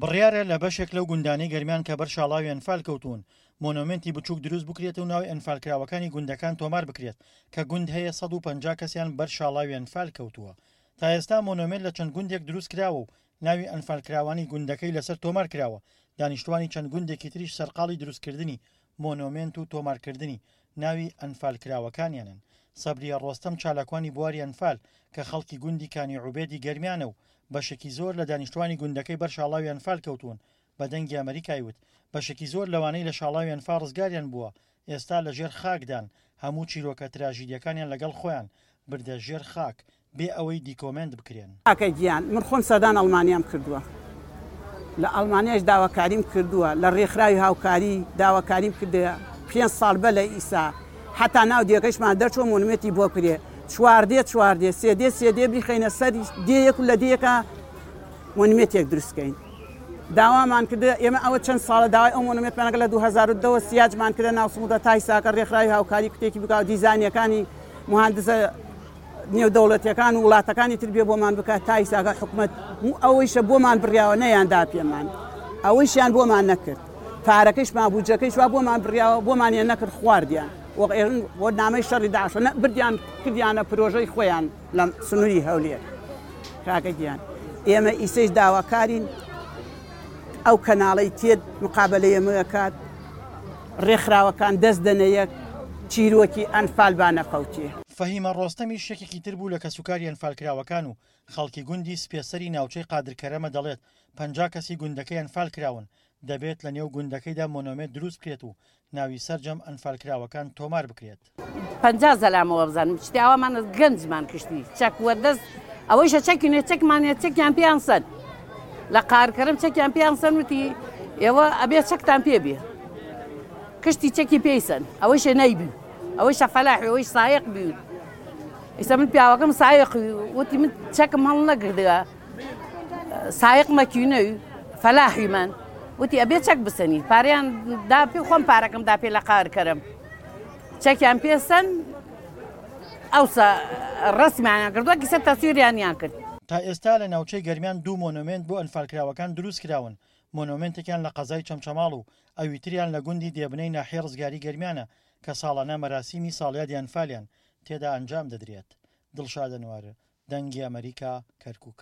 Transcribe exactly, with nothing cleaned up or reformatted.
بڕیارە لە بەشێک لەو گوندانەی گەرمیان کە بەر شاڵاوی ئەنفال کەوتوون، مۆنۆمێنتی بچووک دروست بکرێت و ناوی ئەنفالکراوەکانی گوندەکان تۆمار بکرێت، کە گوند هەیە سەد و پەنجا کەسیان بەر شاڵاوی ئەنفال کەوتووە. تا ئێستا مۆنۆمێنت لە چەند گوندێک دروست کراوە و ناوی ئەنفالکراوانی گوندەکەی لەسەر تۆمار کراوە، دانیشتوانی چەند گوندێکی تریش سەرقاڵی دروستکردنی مۆنۆمێنت و تۆمارکردنی ناوی ئەنفالکراوەکانیانن. سەبریە ڕۆستەم چالاکوانی بواری ئەنفال کە خەڵکی گوندی کانی عوبێدی گەرمیانە و بەشێکی زۆر لە دانیشتوانی گوندەکەی بەر شاڵاوی ئەنفال کەوتوون، بە دەنگی ئەمەریکای وت بەشێکی زۆر لەوانەی لە شاڵاوی ئەنفال ڕزگاریان بووە ئێستا لە ژێر خاکدان، هەموو چیرۆکە تراژیدیەکانیان لەگەڵ خۆیان بردە ژێر خاک بێ ئەوەی دیکۆمێنت بکرێن. کاکە گیان من خۆم سەردان ئەڵمانیام کردووە، لە ئەڵمانیاش داواکاریم کردووە، لە ڕێکخراوی هاوکاری داواکاریم کردووە پێنج ساڵ بە لە ئیسا حتا ناو دێکەشمان دەرچوە مۆنومێنتی بۆ کرێ چوار دێ چوار دێ سێ دێ سێ دێ بیخەینە سەر دێیەک و لە دێیەکە مۆنومێنتێک دروستکەین. داوامان کردە ئێمە ئەوە چەند ساڵە داوای ئەو مۆنومێنتمان لە دوو هەزار و دە سیاجمان کردە ناو سمودا تا ئیساکە ڕێکخراوی هاوکاری کوتێکی بکا و دیزانیەکانی مهندسە نێودەوڵەتیەکان و وڵاتەکانی تر بێ بۆمان بکات تا ئیساکە حکومەت ئەوەیشە بۆمان بڕیاوە نەیاندا پێمان، ئەوەیشیان بۆمان نەکرد، پارەکەیشمان بودجەکەیش وا بۆمان بڕیاوە بۆمانیان نەکرد، خواردیان بۆ نامەی شەڕی داعش بردیان کردیانە پرۆژەی خۆیان لە سنووری هەولێر. کاکە گیان ئێمە ئیسەیش داواکارین ئەو کەناڵەی تێت مقابلەی ئێمە کات، ڕێکخراوەکان دەست دەنەیەک چیرۆکی ئەنفال با نەفەوتێ. فەهیمە ڕۆستەمیش یەکێکی تر بوو لە کەسوکاری ئەنفالکراوەکان و خەڵکی گوندی سپێسەری ناوچەی قادرکەرەمە دەڵێت پەنجا کەسی گوندەکەی ئەنفال کراون، دەبێت لە نێو گوندەکەیدا مۆنۆمێنت دروست بکرێت و ناوی سەرجەم ئەنفالکراوەکان تۆمار بکرێت. پەنجا زەلامەوە بزانم شتی ئاوامان گەنجمان کشتی چەک وەدەست ئەوەیشە چەکی نوێ چەکمانە چەکیان پێیان سەن لە قارکەرم چەکیان پێیان سەن وتی ئێوە ئەبێ چەکتان پێ بێ کشتی چەکی پێی سەن ئەوەیشە نەیبی ئەوەیشە فەلاحی ئەوەیش سایەق بی ئێستا من پیاوەکەم سایەق وتی من چەکم هەڵ نەگردووە سایەق مەکینەوی فەلاحیمان وتی ئەبێ چەک بسەنی پارەیان دا پێ خۆم پارەکەم دا پێ لە قارکەرم چەکیان پێسەن ئەوسا ڕسمیانیان کردووە کیسە تەسویریانیان کرد. تا ئێستا لە ناوچەی گەرمیان دوو مۆنۆمێنت بۆ ئەنفالکراوەکان دروست کراون، مۆنۆمێنتێکیان لە قەزای چەمچەماڵ و ئەوی تریان لە گوندی دێبنەی ناحیە ڕزگاری گەرمیانە کە ساڵانە مەراسیمی ساڵیادی ئەنفالیان تێدا ئەنجام دەدرێت. دڵشاد ئەنوار، دەنگی ئەمریکا، کەرکک.